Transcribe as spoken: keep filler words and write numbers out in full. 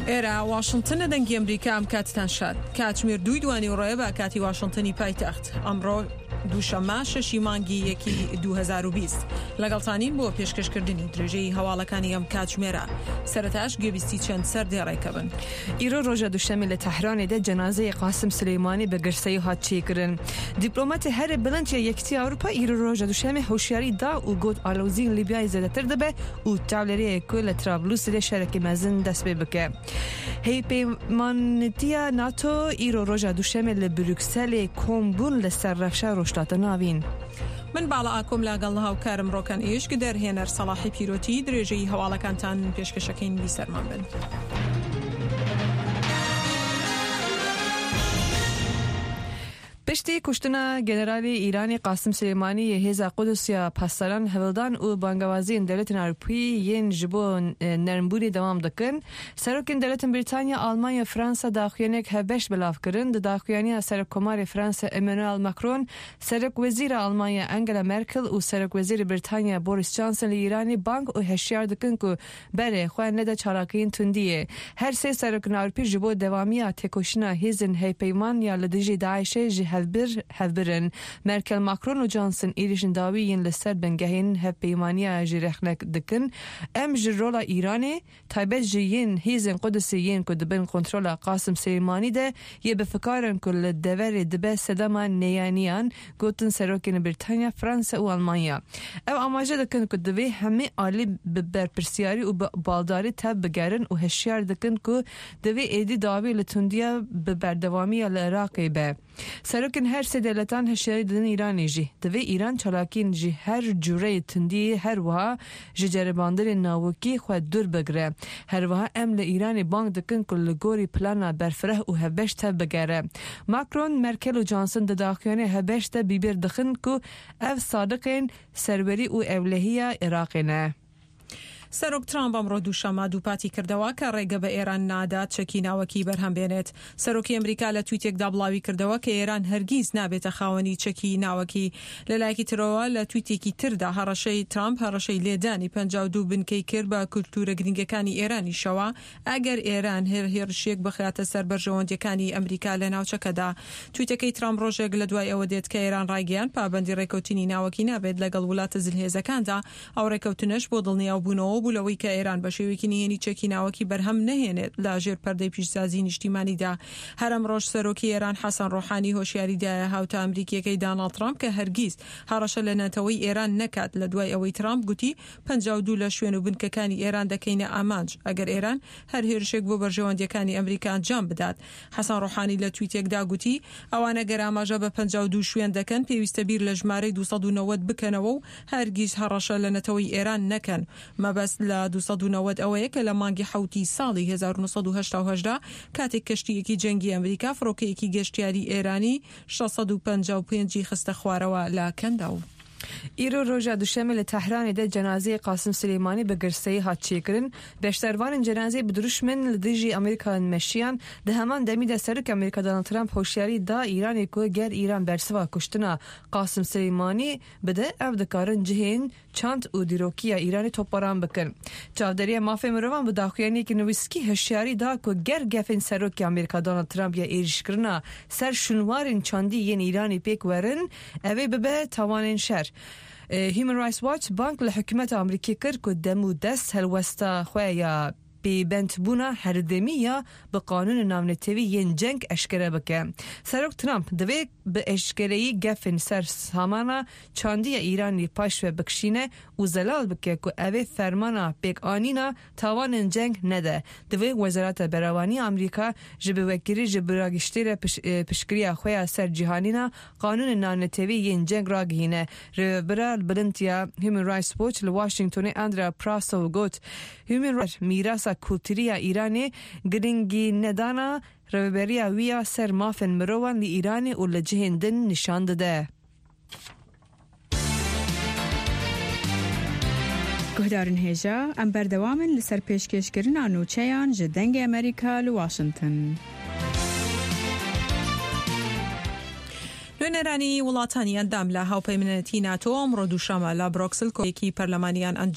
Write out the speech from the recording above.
ئێرە واشنتنە، دەنگی ئەمریکا. ئەم کاتتان شاد. کاتژمێر دووی دوانی ڕۆیە بە کاتی واشنتنی پایتەخت. ئەمڕۆ دووشەممە شەشی مانگی یەکی دوو هەزار و بیست لەگەڵتانین بۆ پێشکەشکردنی درێژەی هەواڵەکانی ئەم کاتژمێرە. سەرەتاش گوێبیستی چەند سەردێڕێکە بن. ئیرۆ ڕۆژە دووشەممە لە تەهرانێ دە جەنازەی قاسم سولەیمانی بە گرسەیی هات چێکردن. دیپلۆماتی هەرێ بڵند یە یەکیتی ئەوروپا ئیرۆ ڕۆژە دووشەممە هۆشیاری دا و گوت ئالۆزی لیبیای زێدەتر دەبێ و تاولەرەیە کو لە ترابلوس لێ شەرەکی مەزن دەست پێ بکە. هەیپەیمانەتیە ناتۆ ئیرۆ ڕۆژە دووشەممە لە بروکسەلێ کۆم بوون لەسەر ڕەوشە ڕۆژهەڵاتە ناوین. من باڵا ئاکۆم لاگەڵ هاوکارم ڕۆکەن ئیشک دەرهێنەر سەڵاحی پیرۆتی درێژەی هەواڵەکانتان پێشکەشەکەین بیسەرمان بن. پشتی کوشتنا گەنەرالی ئیرانی قاسم سولەیمانی یە هێزا قودس یا پاسداران هەوڵدان و بانگەوازیên دەولەتên Ewropî yên ji bo nermbûnê dewam dikin. Serokên dewletên Brîtanya, Almanya, Fransa daxuyaniyek hevbeş belav kirin. Di daxuyaniya Serokkomarê Fransa Emmanuel Macron, Serokwezîra Almanya Angela Merkel û Serokwezîrê Brîtanya Boris Johnson li Îranê bang û heşyar dikin ku berê xwe nede çalakiyên tundiyê. Her sê serokên Ewropî ji bo dewamiya têkoşîna hêzên hevpeyman ya li dijî Daişê ji hevbir hevbirin. Merkel, Macron û Johnson êrişên dawî yên li ser bingehên hevpeymaniya ji rexnek dikin. Em ji rola Îranê taybet ji yên hêzên Qudusê yên ku dibin kontrola Qasim Suleymanî de yê bi fikarin ku li deverê dibe sedema neyaniyan gotin serokên Brîtanya, Fransa û Almanya. Ew amaje dikin ku divê hemî alî bi berpirsiyarî û bi baldarî tev bigerin û heşyar dikin ku divê êdî dawî li tundiya bi berdewamiya li Iraqê be. Serokên her sê dewletan heşyarî didin Îranê jî. Divê Îran çalakiyên ji her cureyê tundiyê her wiha ji ceribandinên navokî xwe dûr bigire. Her wiha em li Îranê bang dikin ku li gorî plana berfireh û hevbeş tev bigere. Macron, Merkel û Johnson di daxuyaniyê hevbeş de bîbir dixin ku ev sadiqên serwerî û ewlehiya Iraqê ne. سەرۆک ترامپ ئەمڕۆ دووشەممە دووپاتی کردەوە کە ڕێگە بە ئێران نادات چەکی ناوەکی بەرهەم بێنێت. سەرۆکی ئەمریکا لە تویتێکدا بڵاوی کردەوە کە ئێران هەرگیز نابێتە خاوەنی چەکی ناوەکی. لە لایەکی ترەوە لە تویتێکی تردا هەڕەشەی ترامپ هەڕەشەی لێدانی پەنجا و دوو بنکەی کرد بە کولتوورە گرنگەکانی ئێرانیشەوە ئەگەر ئێران هەر هێرشێک بخاتە سەر بەرژەوەندیەکانی ئەمریکا لە ناوچەکەدا. تویتەکەی ترامپ ڕۆژێک لە دوای ئەوە دێت کە ئێران ڕایگەیاند پابەندی ڕێکەوتنی ناوەکی نابێت لەگەڵ وڵاتە زلهێزەکاندا. ئەو ڕێکەوتنەش بۆ دڵنیاوبوونەوە بوو لەوەی کە ئێران بە شێوەیەکی نهێنی چەکی ناوەکی بەرهەم نەهێنێت لە ژێر پەردەی پیشسازی نیشتیمانیدا. هەر ئەمڕۆژ سەرۆکی ئێران حەسەن ڕۆحانی هۆشیاری دایە هاوتا ئەمریکیەکەی داناڵد ترامپ کە هەرگیز هەڕەشە لە نەتەوەی ئێران نەکات لە دوای ئەوەی ترامپ گوتی پەنجا و دوو لە شوێن و بنکەکانی ئێران دەکەینە ئامانج ئەگەر ئێران هەر هێرشێک بۆ بەرژەوەندیەکانی ئەمریکا ئەنجام بدات. حەسەن ڕۆحانی لە تویتێکدا گوتی ئەوانە گەر ئاماژە بە پەنجا و دوو شوێن دەکەن پێویستە بیر لە ژمارەی دوو سەد و نەوەد بکەنەوە و هەرگیز هەڕەشە لە نەتەوەی ئێران نەکەن. مەبەست لە دوو سەد و نەوەد ئەوەیە کە لە مانگی حەوتی ساڵی هەزار و نۆ سەد و هەشتا و هەشتا کاتێک کەشتییەکی جەنگی ئەمریکا فڕۆکەیەکی گەشتیاری ئێرانی شەش سەد و پەنجا و پێنجی خستە خوارەوە لە کەنداو. ئیرۆ ڕۆژە دووشەممە لە تەهرانێ دە جەنازەی قاسم سولەیمانی بە گرسەیی هات چێکردن. بەشدارvanên جەنازەی bi dirûşmên li dijî Amerîka meşiyan di heman demî de serok Amerîka Donald Trump hۆşyarî da Îranê ku ger Îran bersiva kuştina Qasim Suleymanî bide ew dikarin cihên çand û dîrokiya Îranê topbaran bikin. Çavdêriya mafê mirovan bi daxuyaniyekî nivîskî hişyarî da ku ger gefên serokê Amerîka Donald Trump ya êrişkirina ser şûnwarên çandî yên Îranê pêk werin ew ê bibe tawanên şer. Human Rights Watch bang li hikûmeta Amerîkî kir ku dem û dest helwesta xwe ya pêbendbûna herdemî ya bi qanûnên navnetewî yên ceng eşkere bike. Serok Trump divê bi eşkereyî gefên ser samana çandiya Îranê paşve bikişîne û zelal bike ku ew ê fermana pêkanîna tawanên ceng nede. Divê Wezareta Berevanî Amerîka ji bi wekirî ji biragiştî re piştgiriya xwe ya ser cîhanîna qanûnên navnetewî yên ceng ragihîne. Rêvebira bilind ya Human Rights Watch li Washingtonê Andrea Prasow got Human Rights mîrasa kultûriya Îranê giringî nedana rêveberiya wî ya ser mafên mirovan li Îranê û li cihên din nîşan dide. Guhdarên hêja, em berdewam in li ser pêşkêşkirina nûçeyan ji Dengê Amerîka li Washington. نوێنەرانی وڵاتانی ئەندام لە هاوپەیمانەتی ناتۆ ئەمڕۆ دووشەممە لە برۆکسل کۆیەکی پەرلەمانیان ئەنجام